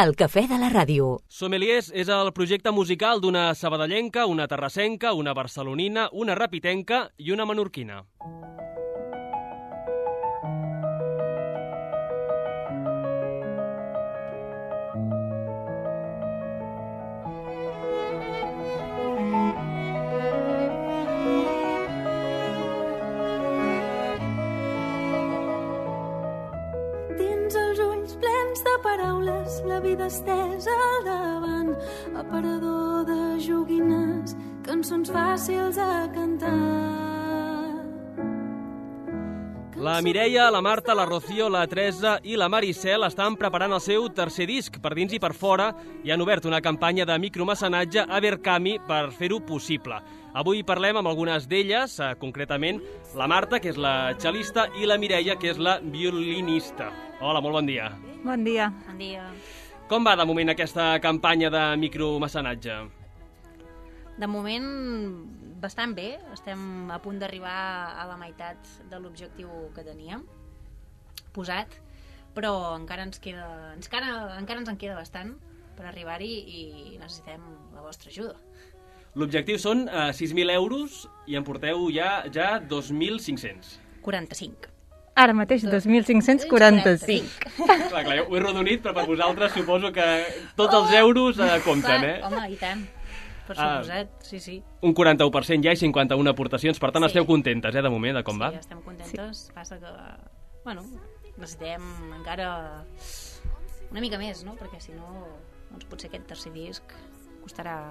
El cafè de la ràdio. Sommeliers és el projecte musical d'una sabadellenca, una terrassenca, una barcelonina, una rapitenca i una menorquina. Paraules, la vida estesa al davant, aparador de joguines, cançons fàcils a cantar. La Mireia, la Marta, la Rocío, la Teresa i la Maricel estan preparant el seu tercer disc per dins i per fora i han obert una campanya de micromecenatge a Berkami per fer-ho possible. Avui parlem amb algunes d'elles, concretament la Marta, que és la cel·lista, i la Mireia, que és la violinista. Hola, molt bon dia. Bon dia. Bon dia. Com va de moment aquesta campanya de micromecenatge? De moment, bastant bé. Estem a punt d'arribar a la meitat de l'objectiu que teníem posat, però encara ens en queda bastant per arribar-hi i necessitem la vostra ajuda. L'objectiu són 6.000 euros i en porteu ja 2.500. 45. Ara mateix 2.545. Clar, ho he rodonit, però per vosaltres suposo que tots els euros compten, eh? Home, i tant. Per suposat, sí. Un 41% ja i 51 aportacions, per tant esteu contentes, de moment, de com va? Sí, estem contentes. Sí. Passa que, necessitem encara una mica més, no? Perquè si no, doncs potser aquest tercer disc costarà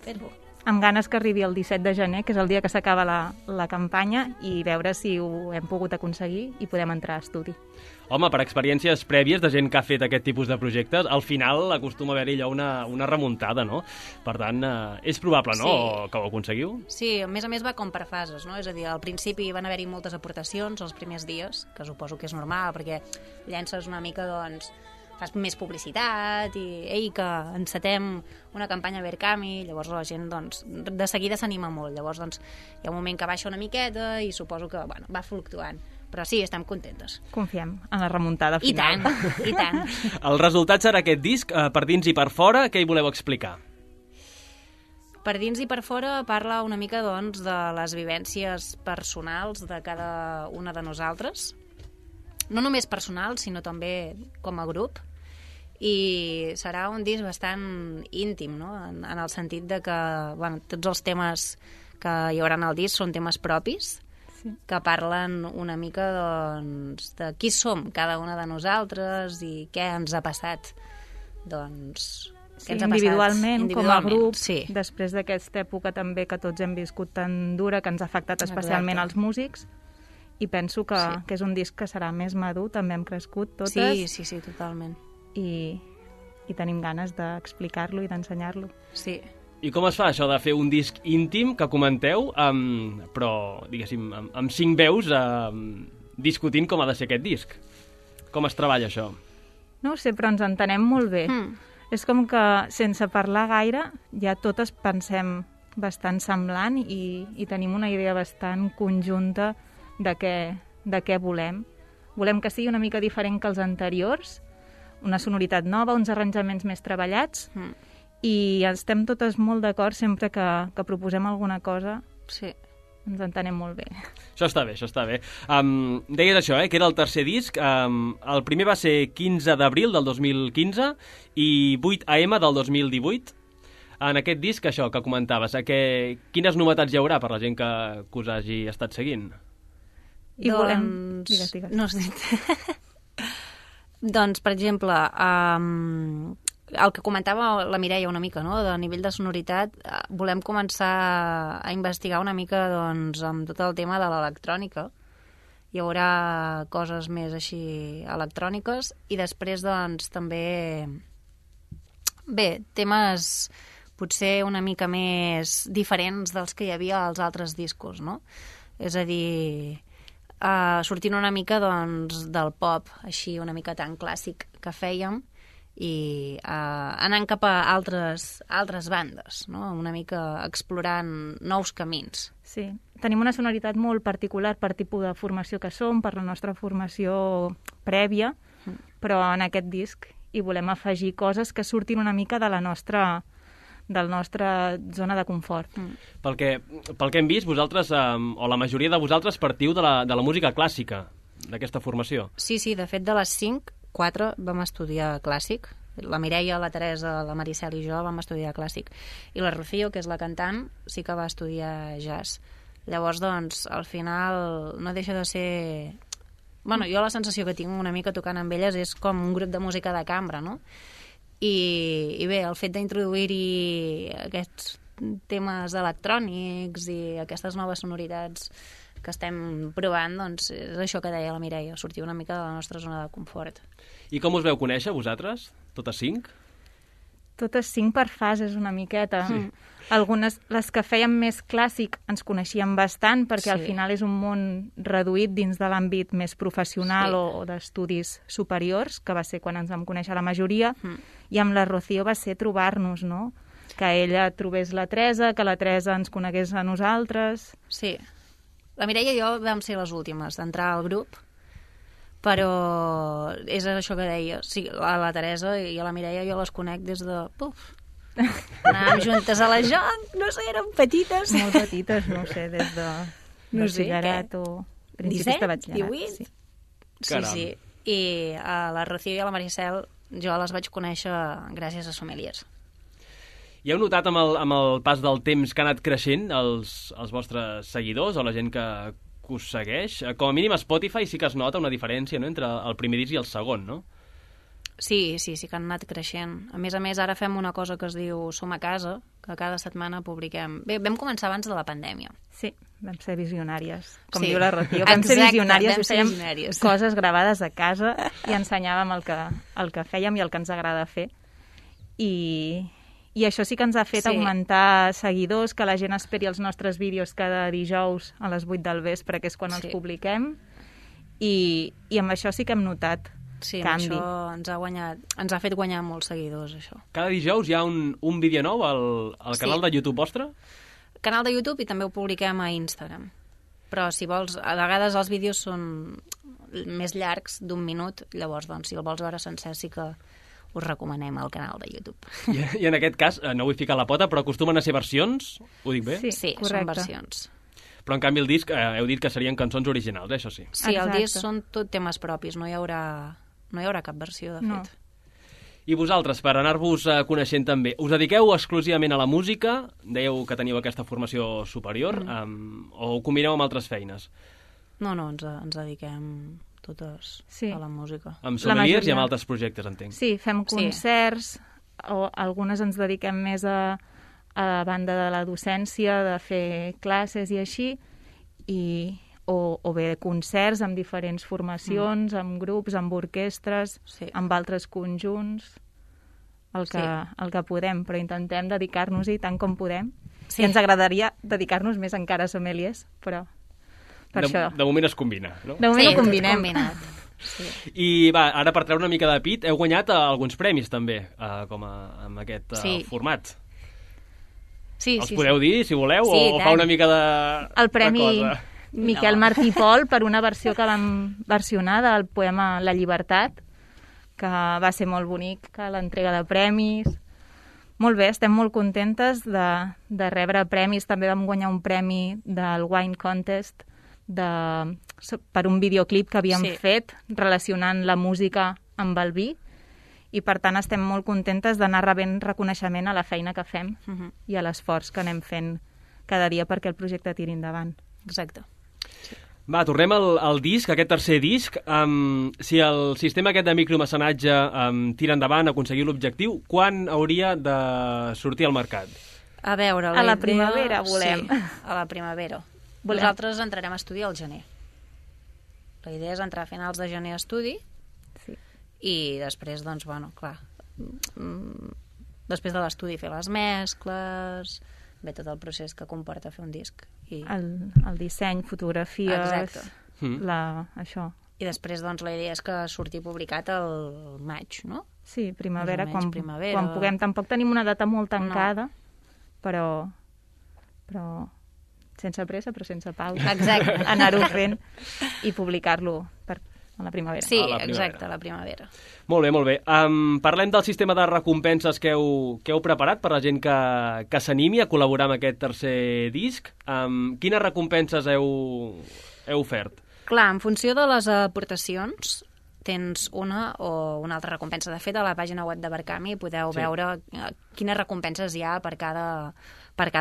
fer-lo. Amb ganes que arribi el 17 de gener, que és el dia que s'acaba la campanya, i veure si ho hem pogut aconseguir i podem entrar a estudi. Home, per experiències prèvies de gent que ha fet aquest tipus de projectes, al final acostuma a haver-hi allò una remuntada, no? Per tant, és probable, no?, sí, que ho aconseguiu? Sí, a més va com per fases, no? És a dir, al principi van haver-hi moltes aportacions els primers dies, que suposo que és normal, perquè llences una mica, doncs, fas més publicitat i que encetem una campanya a Berkami, llavors la gent doncs, de seguida s'anima molt, llavors doncs, hi ha un moment que baixa una miqueta i suposo que va fluctuant, però sí, estem contentes. Confiem en la remuntada final. I tant. El resultat serà aquest disc, per dins i per fora, què hi voleu explicar? Per dins i per fora parla una mica doncs, de les vivències personals de cada una de nosaltres, no només personal, sinó també com a grup, i serà un disc bastant íntim, no? En el sentit de que tots els temes que hi haurà al disc són temes propis, sí, que parlen una mica doncs, de qui som cada una de nosaltres i què ens ha passat. Doncs, sí, individualment, com a grup, sí, després d'aquesta època també que tots hem viscut tan dura, que ens ha afectat especialment als músics, i penso que és un disc que serà més madur, també hem crescut totes. Sí, totalment. I tenim ganes d'explicar-lo i d'ensenyar-lo. Sí. I com es fa això de fer un disc íntim que comenteu, però, diguéssim, amb 5 veus discutint com ha de ser aquest disc? Com es treballa això? No ho sé, però ens entenem molt bé. És com que, sense parlar gaire, ja totes pensem bastant semblant i tenim una idea bastant conjunta de què volem. Volem que sigui una mica diferent que els anteriors, una sonoritat nova, uns arranjaments més treballats, i estem totes molt d'acord sempre que proposem alguna cosa. Sí. Ens entenem molt bé. Això està bé. Deies això, que era el tercer disc. El primer va ser 15 d'abril del 2015 i 8 AM del 2018. En aquest disc, això que comentaves, quines novetats hi haurà per la gent que us hagi estat seguint? I volem... Digues. No, doncs, per exemple, el que comentava la Mireia una mica, no?, de nivell de sonoritat, volem començar a investigar una mica doncs, amb tot el tema de l'electrònica. Hi haurà coses més així electròniques i després doncs, també temes potser una mica més diferents dels que hi havia als altres discos, no? És a dir, sortint una mica doncs, del pop, així una mica tan clàssic que fèiem, i anant cap a altres bandes, no? Una mica explorant nous camins. Sí, tenim una sonoritat molt particular per tipus de formació que som, per la nostra formació prèvia, però en aquest disc i volem afegir coses que surtin una mica de la nostra zona de confort. Pel que hem vist, vosaltres, o la majoria de vosaltres, partiu de la música clàssica, d'aquesta formació. Sí, de fet, de les 5, 4 vam estudiar clàssic. La Mireia, la Teresa, la Maricel i jo vam estudiar clàssic. I la Rocío, que és la cantant, sí que va estudiar jazz. Llavors, doncs, al final no deixa de ser... Bueno, jo la sensació que tinc una mica tocant amb elles és com un grup de música de cambra, no? I bé, el fet d'introduir-hi aquests temes electrònics i aquestes noves sonoritats que estem provant, doncs és això que deia la Mireia, sortir una mica de la nostra zona de confort. I com us veu conèixer, vosaltres? Totes 5? Totes 5 per fases, una miqueta. Sí. Algunes, les que fèiem més clàssic, ens coneixíem bastant, perquè al final és un món reduït dins de l'àmbit més professional o d'estudis superiors, que va ser quan ens vam conèixer la majoria, i amb la Rocío va ser trobar-nos, no? Que ella trobés la Teresa, que la Teresa ens conegués a nosaltres. Sí. La Mireia i jo vam ser les últimes d'entrar al grup, però és això que deia. Sí, la Teresa i la Mireia jo les conec des de... Anàvem juntes a la joc, no sé, eren petites. Molt petites, no sé, des de batxillerat o principis de batxillerat. 18? Sí. I a la Rocío i a la Maricel jo les vaig conèixer gràcies a Sommeliers. I heu notat amb el pas del temps que ha anat creixent els vostres seguidors o la gent que us segueix? Com a mínim a Spotify sí que es nota una diferència, no?, entre el primer disc i el segon, no? Sí que han anat creixent. A més, ara fem una cosa que es diu Som a casa, que cada setmana publiquem... Bé, vam començar abans de la pandèmia. Sí, vam ser visionàries. Com diu la Rocío, vam ser visionàries i fèiem coses gravades a casa i ensenyàvem el que fèiem i el que ens agrada fer. I això sí que ens ha fet augmentar seguidors, que la gent esperi els nostres vídeos cada dijous a les 8 del vespre, que és quan els publiquem, i amb això sí que hem notat canvi. Això ens ha fet guanyar molts seguidors, això. Cada dijous hi ha un vídeo nou al canal de YouTube vostre? Canal de YouTube i també ho publiquem a Instagram. Però si vols, a vegades els vídeos són més llargs, d'1 minut, llavors, doncs, si el vols veure sencer sí que us recomanem el canal de YouTube. I en aquest cas, no vull ficar la pota, però acostumen a ser versions? Ho dic bé? Sí, són versions. Però en canvi el disc, heu dit que serien cançons originals, això sí. Sí, el disc són tot temes propis, no hi haurà cap versió, de fet. I vosaltres, per anar-vos coneixent també, us dediqueu exclusivament a la música? Dèieu que teníeu aquesta formació superior, o ho combineu amb altres feines? No, ens dediquem totes a la música. Amb Sommeliers i amb altres projectes, entenc. Sí, fem concerts, o algunes ens dediquem més a la banda de la docència, de fer classes i així, o bé concerts amb diferents formacions, amb grups, amb orquestres, amb altres conjunts, el que podem, però intentem dedicar-nos-hi tant com podem. I ens agradaria dedicar-nos més encara a Sommeliers, però per això. De moment es combina, no? De moment ho combinem. I va, ara per treure una mica de pit, heu guanyat alguns premis també, com amb aquest format. Els podeu dir, si voleu, o fa una mica de el premi Miquel Martí i Pol per una versió que vam versionar del poema La Llibertat, que va ser molt bonic, l'entrega de premis. Molt bé, estem molt contentes de rebre premis. També vam guanyar un premi del Wine Contest per un videoclip que havíem fet relacionant la música amb el vi, i per tant estem molt contentes d'anar rebent reconeixement a la feina que fem i a l'esforç que anem fent cada dia perquè el projecte tiri endavant. Exacte. Va, tornem al disc, aquest tercer disc. Si el sistema aquest de micromecenatge tira endavant, aconseguir l'objectiu, quan hauria de sortir al mercat? A veure, a la primavera volem. Sí, a la primavera. Nosaltres entrarem a estudi al gener. La idea és entrar a finals de gener a estudi i després, doncs, bueno, clar, després de l'estudi fer les mescles, bé, tot el procés que comporta fer un disc. El disseny, fotografies, això. I després, doncs, la idea és que surti publicat el maig, no? Sí, primavera, quan puguem. Tampoc tenim una data molt tancada, però sense pressa, però sense pausa. Exacte. Anar-ho fent i publicar-lo a la primavera. Sí, A la primavera. exacte, a la primavera. Molt bé, molt bé. Parlem del sistema de recompenses que heu preparat per la gent que s'animi a col·laborar amb aquest tercer disc. Quines recompenses heu ofert? Clar, en funció de les aportacions, tens una o una altra recompensa. De fet, a la pàgina web de Berkami podeu veure quines recompenses hi ha per cada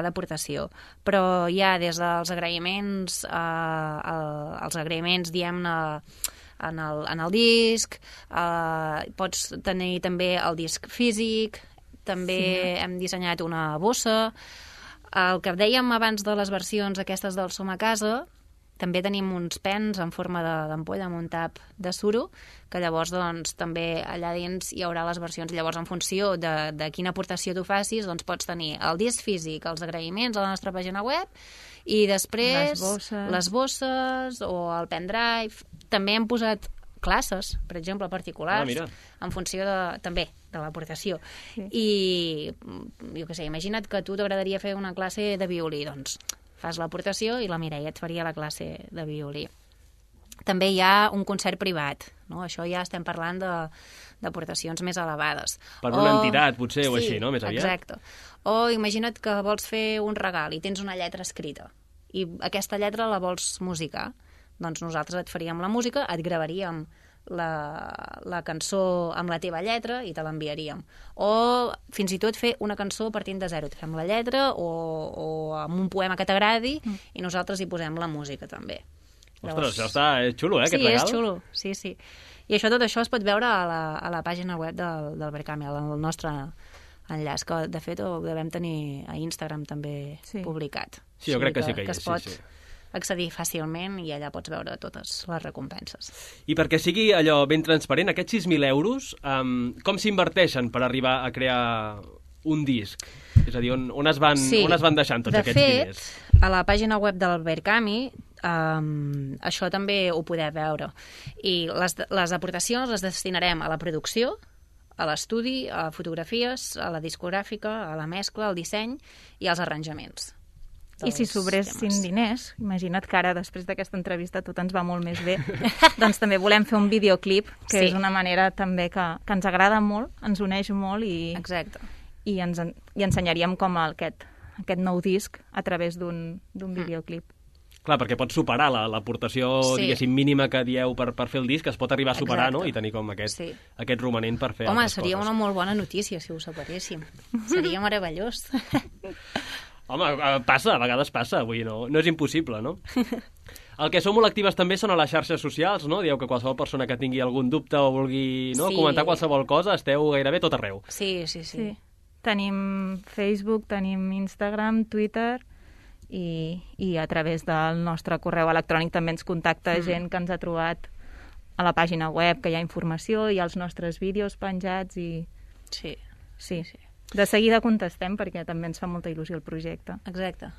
aportació. Però hi ha des dels agraïments, els agraïments, diguem-ne, en el disc, pots tenir també el disc físic, també hem dissenyat una bossa. El que dèiem abans de les versions aquestes del Som a Casa, també tenim uns pens en forma d'ampolla amb un tap de suro, que llavors doncs, també allà dins hi haurà les versions. Llavors, en funció de quina aportació tu facis, doncs pots tenir el disc físic, els agraïments a la nostra pàgina web, i després les bosses o el pendrive. També hem posat classes, per exemple, particulars, en funció també de l'aportació. Sí. I, jo què sé, imagina't que a tu t'agradaria fer una classe de violí, doncs fas l'aportació i la Mireia et faria la classe de violí. També hi ha un concert privat, no? Això ja estem parlant d'aportacions més elevades. Per una entitat, potser, o així, no? Més aviat. Exacte. O imagina't que vols fer un regal i tens una lletra escrita i aquesta lletra la vols musicar. Doncs nosaltres et faríem la música, et gravaríem la cançó amb la teva lletra i te l'enviaríem. O fins i tot fer una cançó partint de zero. Et fem la lletra o amb un poema que t'agradi i nosaltres hi posem la música també. Ostres, això és xulo, aquest regal? Sí, és xulo, sí. I tot això es pot veure a la pàgina web del Berkami, al nostre enllaç, que de fet ho devem tenir a Instagram també publicat. Sí, jo crec que sí que hi és. Que es pot accedir fàcilment i allà pots veure totes les recompenses. I perquè sigui allò ben transparent, aquests 6.000 euros, com s'inverteixen per arribar a crear un disc? És a dir, on es van deixant tots aquests diners? De fet, a la pàgina web del Berkami això també ho podeu veure. I les aportacions les destinarem a la producció, a l'estudi, a fotografies, a la discogràfica, a la mescla, al disseny i als arranjaments. I si sobressin diners, imagina't que ara, després d'aquesta entrevista, tot ens va molt més bé, doncs també volem fer un videoclip, que és una manera també que ens agrada molt, ens uneix molt i ensenyaríem com aquest nou disc a través d'un videoclip. Clar, perquè pots superar l'aportació, diguéssim, mínima que dieu per fer el disc, es pot arribar a superar, no? I tenir com aquest romanent per fer altres coses. Home, seria una molt bona notícia si ho superéssim. Seria meravellós. Home, passa, a vegades passa, vull dir, no és impossible, no? El que sou molt actives també són a les xarxes socials, no? Dieu que qualsevol persona que tingui algun dubte o vulgui comentar qualsevol cosa, esteu gairebé tot arreu. Sí. Tenim Facebook, tenim Instagram, Twitter i a través del nostre correu electrònic també ens contacta gent que ens ha trobat a la pàgina web, que hi ha informació, hi ha els nostres vídeos penjats i... Sí. De seguida contestem perquè també ens fa molta il·lusió el projecte. Exacte.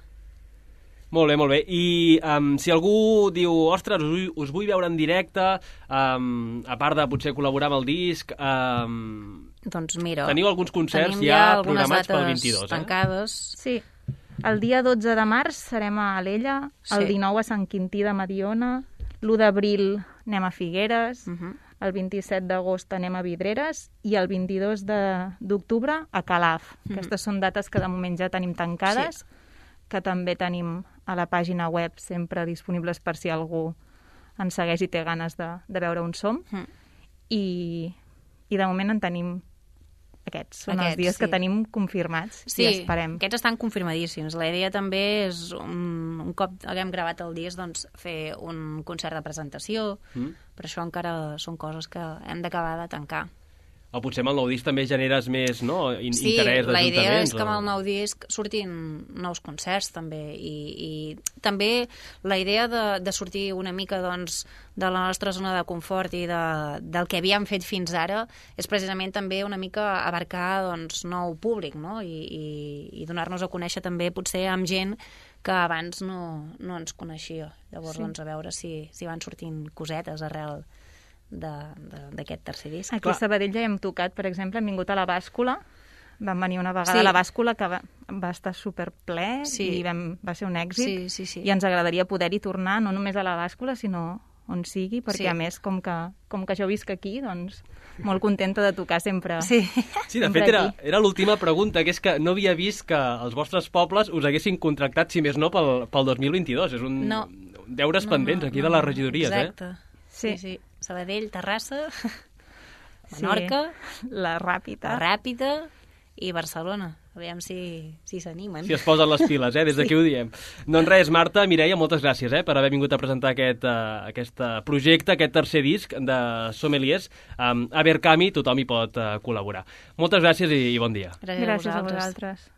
Molt bé. I si algú diu, ostres, us vull veure en directe, a part de potser col·laborar amb el disc, doncs mira, teniu alguns concerts ja programats pel 22, tancades. Sí. El dia 12 de març serem a Alella, el 19 a Sant Quintí de Mediona, l'1 d'abril anem a Figueres, el 27 d'agost anem a Vidreres i el 22 d'octubre a Calaf. Aquestes són dates que de moment ja tenim tancades, que també tenim a la pàgina web sempre disponibles per si algú ens segueix i té ganes de veure on som. I de moment en tenim aquests. Són els dies que tenim confirmats i esperem. Aquests estan confirmadíssims. La idea també és, un cop haguem gravat el disc, doncs fer un concert de presentació, però això encara són coses que hem d'acabar de tancar. O potser amb el nou disc també generes més interès d'ajuntaments. Sí, la idea és que amb el nou disc surtin nous concerts també i també la idea de sortir una mica doncs, de la nostra zona de confort i del que havíem fet fins ara és precisament també una mica abarcar doncs, nou públic, no? I donar-nos a conèixer també potser amb gent que abans no ens coneixia. Llavors doncs, a veure si van sortint cosetes arrel d'aquest tercer disc. Aquí a Sabadell ja hem tocat, per exemple, hem vingut a la Bàscula, vam venir una vegada a la Bàscula que va estar superple i va ser un èxit i ens agradaria poder-hi tornar, no només a la Bàscula sinó on sigui, perquè Sí. a més, com que jo visc aquí, doncs molt contenta de tocar sempre. Sí. Sí, de Sempre fet, aquí. era l'última pregunta, que és que no havia vist que els vostres pobles us haguessin contractat, si més no, pel 2022. És un No. deures pendents aquí de les regidories, Exacte. Sí. Sí. Sabadell, Terrassa, Sí. Menorca, La Ràpita. Ràpita i Barcelona. Aviam si s'animen. Si es posen les piles, des d'aquí ho diem. Doncs res, Marta, Mireia, moltes gràcies per haver vingut a presentar aquest projecte, aquest tercer disc de Sommeliers. A Abercami tothom hi pot col·laborar. Moltes gràcies i bon dia. Gràcies a vosaltres.